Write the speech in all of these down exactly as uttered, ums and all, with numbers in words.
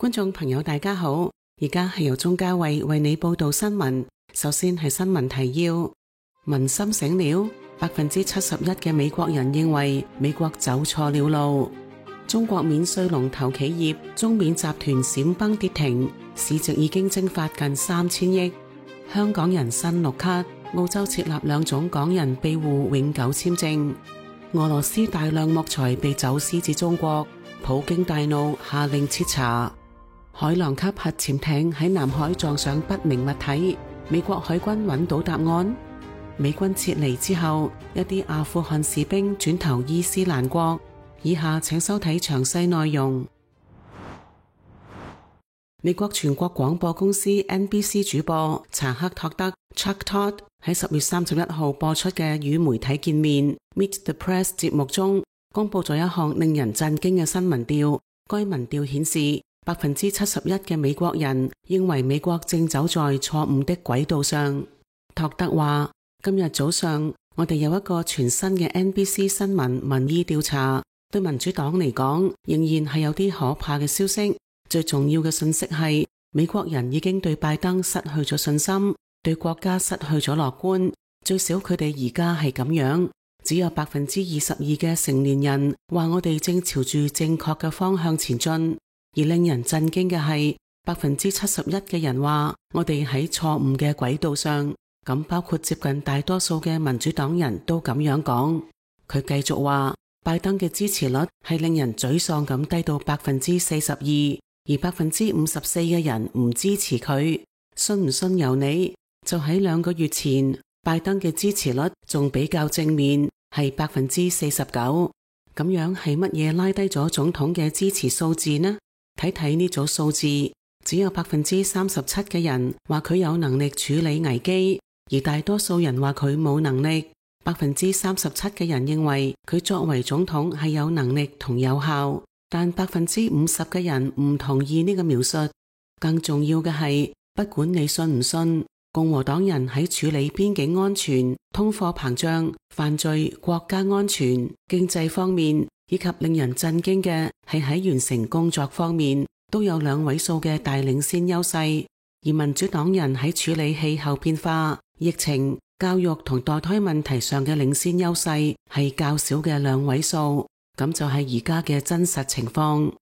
觀眾朋友大家好，而家係由鍾嘉慧為你報道新聞。首先係新聞提要：民心醒了，百分之七十一嘅美國人認為美國走錯了路。中國免稅龍頭企業中免集團閃崩跌停，市值已經蒸發近三千億。香港人新綠卡，澳洲設立兩種港人庇護永久簽證。俄羅斯大量木材被走私至中國，普京大怒下令徹查。海狼級核潛艇喺南海撞上不明物體，美國海軍揾到答案。美軍撤離之後，一啲阿富汗士兵轉投伊斯蘭國。以下請收睇詳細內容。美國全國廣播公司 N B C 主播查克托德 Chuck Todd 喺十月三十一號播出嘅與媒體見面 Meet the Press 節目中，公布咗一項令人震驚嘅新民調。該民調顯示，百分之七十一嘅美國人認為美國正走在錯誤的軌道上。托德話：今日早上我哋有一個全新嘅 N B C 新聞民意調查，對民主黨嚟講仍然係有啲可怕嘅消息。最重要嘅信息係，美國人已經對拜登失去咗信心，對國家失去咗樂觀。最少佢哋而家係咁樣。只有百分之二十二嘅成年人話我哋正朝住正確嘅方向前進，而令人震驚嘅係，百分之七十一嘅人話我哋喺錯誤嘅軌道上。咁包括接近大多數嘅民主黨人都咁樣講。佢繼續話，拜登嘅支持率係令人沮喪咁低到百分之四十二。而百分之五十四嘅人唔支持佢，信唔信由你。就喺兩個月前，拜登嘅支持率仲比較正面，係百分之四十九。咁樣係乜嘢拉低咗總統嘅支持數字呢？睇睇呢組數字，只有百分之三十七嘅人話佢有能力處理危機，而大多數人話佢冇能力。百分之三十七嘅人認為佢作為總統係有能力同有效。但百分之五十嘅人唔同意呢個描述。更重要嘅係，不管你信唔信，共和黨人喺處理邊境安全、通貨膨脹、犯罪、國家安全、經濟方面，以及令人震驚嘅係喺完成工作方面，都有兩位數嘅大領先優勢。而民主黨人喺處理氣候變化、疫情、教育同墮胎問題上嘅領先優勢係較少嘅兩位數。咁就係而家嘅真實情況。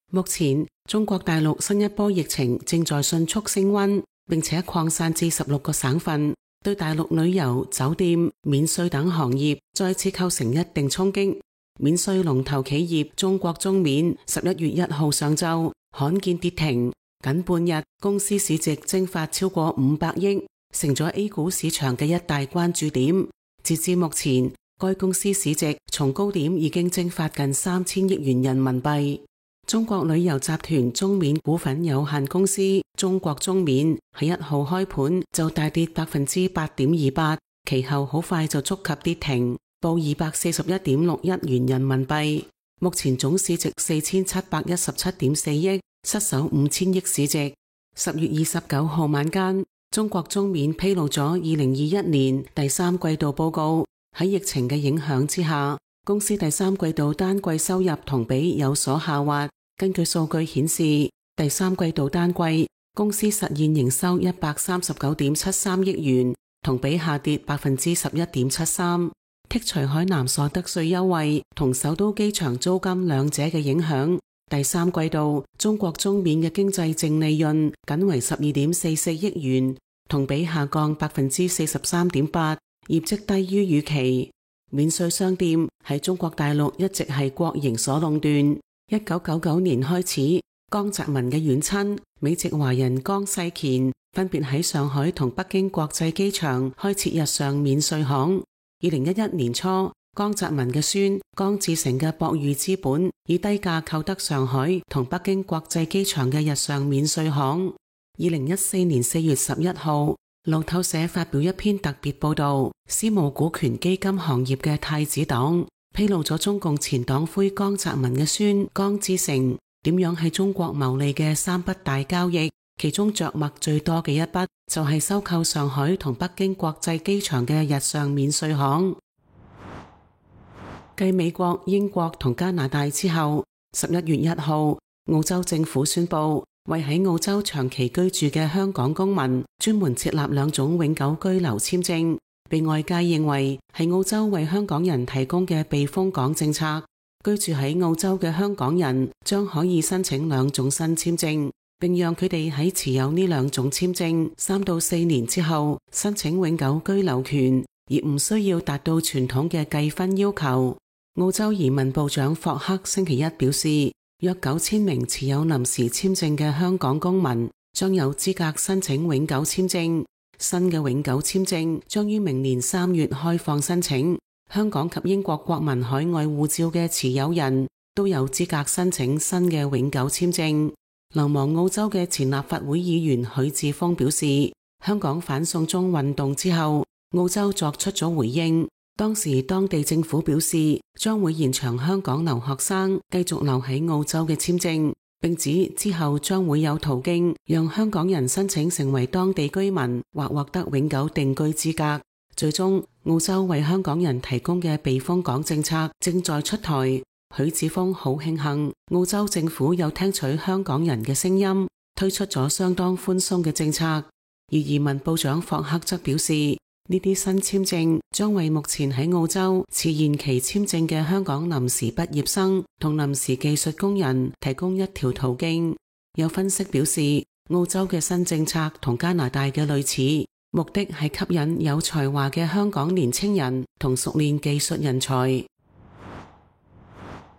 目前中國大陸新一波疫情正在迅速升溫，並且擴散至十六個省份，對大陸旅遊、酒店、免稅等行業再次構成一定衝擊。免稅龍頭企業中國中免十一月一號上晝罕見跌停，僅半日公司市值蒸發超過五百億，成咗 A 股市場嘅一大關注點。截至目前，該公司市值從高點已經蒸發近三千億元人民幣。中國旅遊集團中免股份有限公司中國中免喺一號開盤就大跌百分之八點二八，其後好快就觸及跌停，報二百四十一點六一元人民幣。目前總市值四千七百一十七點四億，失守五千億市值。十月二十九號晚間，中國中免披露咗二零二一年第三季度報告。喺疫情嘅影響之下，公司第三季度單季收入同比有所下滑。根據數據顯示，第三季度單季公司實現營收一百三十九點七三億元，同比下跌百分之十一點七三。剔除海南所得稅優惠同首都機場租金兩者嘅影響，第三季度中國中免嘅經濟淨利潤僅為十二點四四億元，同比下降百分之四十三點八。業績低於預期。免稅商店喺中國大陸一直係國營所壟斷。一九九九年開始，江澤民嘅遠親美籍華人江世乾分別喺上海同北京國際機場開設日上免稅行。二零一一年初，江澤民嘅孫江志成嘅博裕資本以低價購得上海同北京國際機場嘅日上免稅行。二零一四年四月十一號，路透社發表一篇特別報道，私募股權基金行業嘅太子黨披露咗中共前黨魁江澤民嘅孫江志成點樣喺中國牟利嘅三筆大交易，其中着墨最多嘅一筆就係收購上海同北京國際機場嘅日上免稅行。繼美國、英國同加拿大之後，十一月一號，澳洲政府宣布，為喺澳洲長期居住嘅香港公民專門設立兩種永久居留簽證，被外界認為係澳洲為香港人提供嘅避風港政策。居住喺澳洲嘅香港人將可以申請兩種新簽證，並讓佢哋喺持有呢兩種簽證三到四年之後申請永久居留權，而唔需要達到傳統嘅計分要求。澳洲移民部長霍克星期一表示，約九千名持有臨時簽證嘅香港公民將有資格申請永久簽證。新嘅永久簽證將於明年三月開放申請。香港及英國國民海外護照嘅持有人都有資格申請新嘅永久簽證。流亡澳洲嘅前立法會議員許智峰表示，香港反送中運動之後，澳洲作出咗回應。當時當地政府表示將會延長香港留學生繼續留喺澳洲嘅簽證，並指之後將會有途徑讓香港人申請成為當地居民或獲得永久定居資格。最終，澳洲為香港人提供嘅避風港政策正在出台。許智峰好慶幸澳洲政府有聽取香港人嘅聲音，推出咗相當寬鬆嘅政策。而移民部長霍克則表示，呢啲新簽證將為目前喺澳洲持延期簽證嘅香港臨時畢業生同臨時技術工人提供一條途徑。有分析表示，澳洲嘅新政策同加拿大嘅類似，目的係吸引有才華嘅香港年青人同熟練技術人才。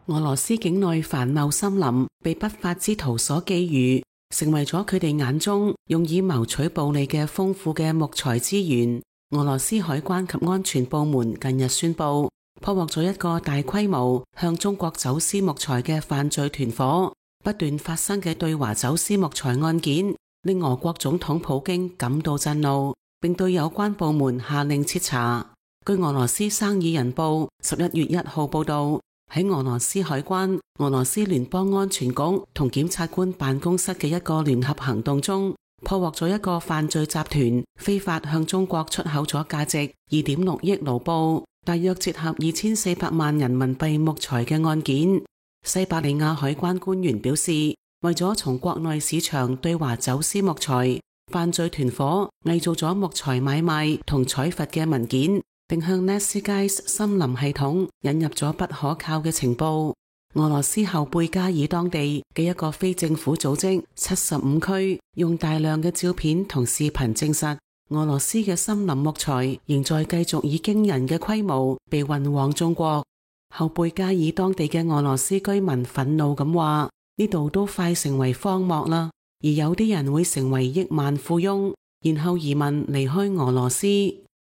俄羅斯境內繁茂森林被不法之徒所覬覦，成為咗佢哋眼中用以謀取暴利嘅豐富嘅木材資源。俄羅斯海關及安全部門近日宣布，破獲咗一個大規模向中國走私木材嘅犯罪團伙。不斷發生嘅對華走私木材案件，令俄國總統普京感到震怒，並對有關部門下令徹查。據俄羅斯生意人報十一月一號報道，喺俄羅斯海關、俄羅斯聯邦安全局同檢察官辦公室嘅一個聯合行動中，破獲咗一個犯罪集團非法向中國出口咗價值二點六億盧布，大約折合二千四百萬人民幣木材嘅案件。西伯利亞海關官員表示，為咗從國內市場對華走私木材，犯罪團伙偽造咗木材買賣同採伐嘅文件，並向 NetSkyes 森林系統引入咗不可靠嘅情報。俄羅斯後貝加爾當地嘅一個非政府組織七十五區用大量嘅照片同視頻證實，俄羅斯嘅森林木材仍在繼續以驚人嘅規模被運往中國。後貝加爾當地嘅俄羅斯居民憤怒咁話，呢度都快成為荒漠啦，而有啲人會成為億萬富翁，然後移民離開俄羅斯。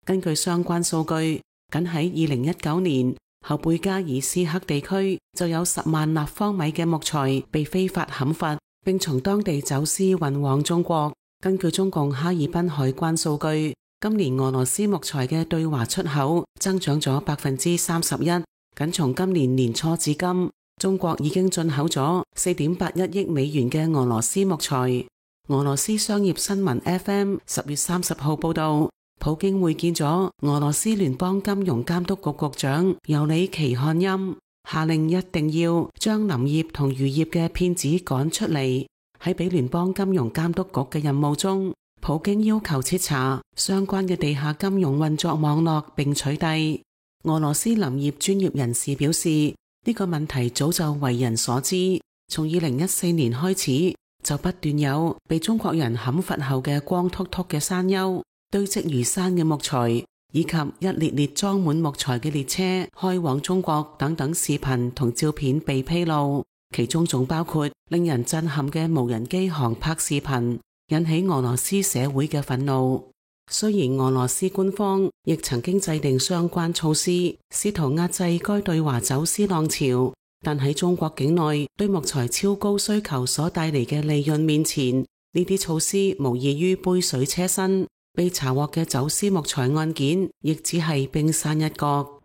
根據相關數據，僅喺二零一九年，後貝加爾斯克地區就有十萬立方米嘅木材被非法砍伐，並從當地走私運往中國。根據中共哈爾濱海關數據，今年俄羅斯木材嘅對華出口增長咗百分之三十一。僅從今年年初至今，中國已經進口咗四點八一億美元嘅俄羅斯木材。俄羅斯商業新聞 F M 十月三十號報道，普京會見咗俄羅斯聯邦金融監督局局長尤里奇漢欽，下令一定要將林業同漁業嘅騙子趕出嚟。喺俾聯邦金融監督局嘅任務中，普京要求徹查相關嘅地下金融運作網絡並取締。俄羅斯林業專業人士表示，呢個問題早就為人所知，從二零一四年開始就不斷有被中國人砍伐後嘅光禿禿嘅山丘、堆積如山嘅木材，以及一列列裝滿木材嘅列車開往中國等等視頻同照片被披露，其中仲包括令人震撼嘅無人機航拍視頻，引起俄羅斯社會嘅憤怒。雖然俄羅斯官方亦曾經制定相關措施，試圖壓制該對華走私浪潮，但喺中國境內對木材超高需求所帶嚟嘅利潤面前，呢啲措施無異於杯水車薪。被查獲嘅走私木材案件亦只係冰山一角。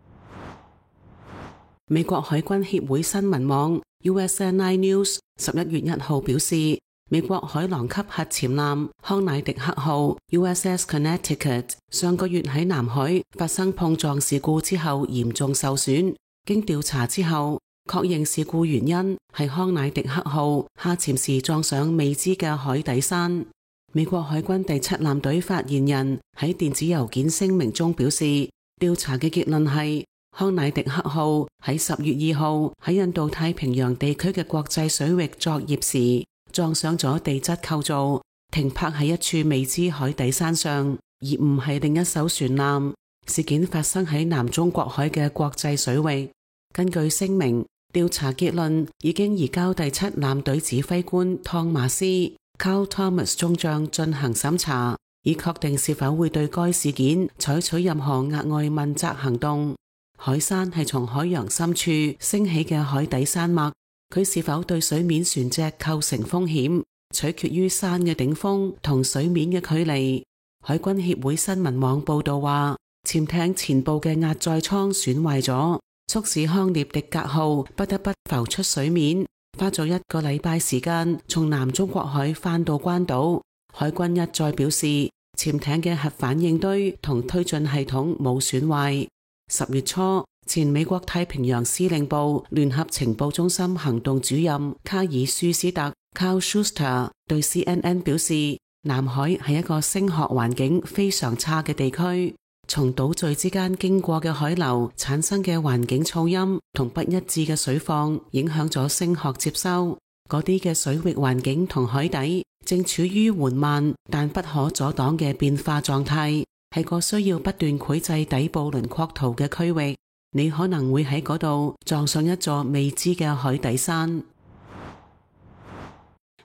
美國海軍協會新聞網 U S N I News 十一月一號表示，美國海狼級核潛艦康乃狄克號 U S S Connecticut 上個月喺南海發生碰撞事故之後嚴重受損，經調查之後，確認事故原因係康乃狄克號下潛時撞上未知嘅海底山。美國海軍第七艦隊發言人喺電子郵件聲明中表示，調查嘅結論係康乃狄克號喺十月二號喺印度太平洋地區嘅國際水域作業時撞上咗地質構造，停泊喺一處未知海底山上，而唔係另一艘船艦。事件發生喺南中國海嘅國際水域。根據聲明，調查結論已經移交第七艦隊指揮官湯馬斯 Carl Thomas 中將進行審查，以確定是否會對該事件採取任何額外問責行動。海山係從海洋深處升起嘅海底山脈，佢是否對水面船隻構成風險，取決於山嘅頂峰同水面嘅距離。海軍協會新聞網報道話，潛艇前部嘅壓載艙損壞咗，促使康涅狄格號不得不浮出水面，花咗一個禮拜時間從南中國海返到關島。海軍一再表示，潛艇嘅核反應堆同推進系統冇損壞。十月初，前美國太平洋司令部聯合情報中心行動主任卡爾舒斯特 Carl Schuster 對 C N N 表示，南海係一個聲學環境非常差嘅地區，從島嶼之間經過嘅海流產生嘅環境噪音同不一致嘅水況影響咗聲學接收。嗰啲嘅水域環境同海底正處於緩慢但不可阻擋嘅變化狀態，係個需要不斷繪製底部輪廓圖嘅區域。你可能會喺嗰度撞上一座未知嘅海底山。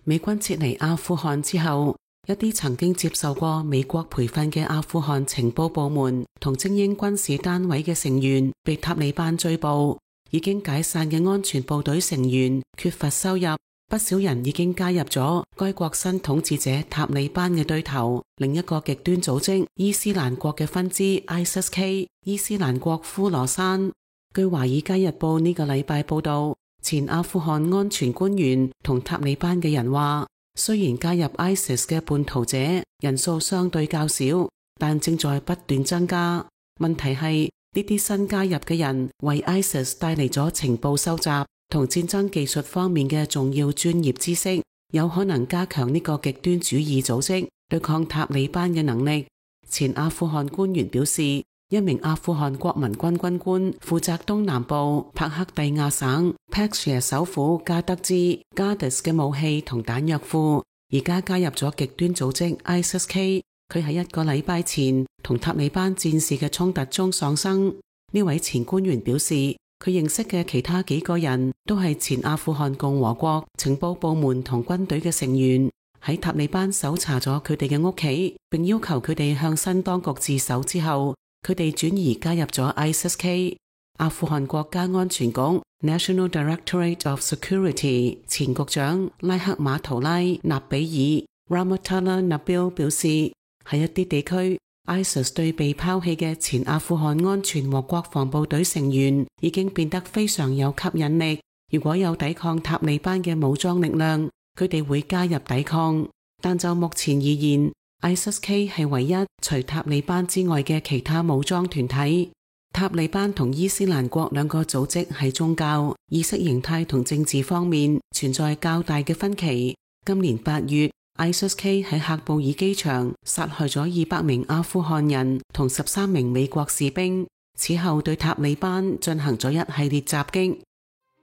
美軍撤離阿富汗之後，一啲曾經接受過美國培訓嘅阿富汗情報部門同精英軍事單位嘅成員被塔利班追捕。已經解散嘅安全部隊成員缺乏收入，不少人已經加入咗該國新統治者塔利班嘅對頭另一個極端組織伊斯蘭國嘅分支 I S I S K 伊斯蘭國呼羅珊。據華爾街日報呢個禮拜報道，前阿富汗安全官員同塔利班嘅人話，雖然加入 I S I S 嘅叛徒者人數相對較少，但正在不斷增加。問題係呢啲新加入嘅人為 I S I S 帶嚟咗情報收集同戰爭技術方面嘅重要專業知識，有可能加強呢個極端主義組織對抗塔利班嘅能力。前阿富汗官員表示，一名阿富汗國民軍軍官負責東南部帕克蒂亞省 Peshawar 首府加德茲 Gardez 嘅武器同彈藥庫，而家加入咗極端組織 I S I S K。佢喺一個禮拜前同塔利班戰士嘅衝突中喪生。呢位前官員表示，佢認識嘅其他幾個人都係前阿富汗共和國情報部門同軍隊嘅成員。喺塔利班搜查咗佢哋嘅屋企，並要求佢哋向新當局自首之後，佢哋轉移加入咗 I S I S K。 阿富汗國家安全局 National Directorate of Security 前局長拉克馬圖拉納比爾 Rahmatullah Nabil 表示，喺一啲地區 I S I S 對被拋棄嘅前阿富汗安全和國防部隊成員已經變得非常有吸引力。如果有抵抗塔利班嘅武裝力量，佢哋會加入抵抗。但就目前而言， I S I S K 係唯一除塔利班之外嘅其他武裝團體。塔利班同伊斯蘭國兩個組織喺宗教、意識形態同政治方面存在較大嘅分歧。今年八月I S I S K 喺喀布爾機場殺害咗二百名阿富汗人同十三名美國士兵，此後對塔利班進行咗一系列襲擊。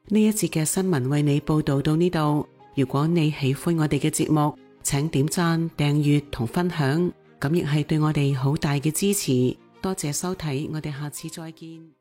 呢一節嘅新聞為你報道到呢度。如果你喜歡我哋嘅節目，請點讚、訂閱同分享，咁亦係對我哋好大嘅支持。多謝收睇，我哋下次再見。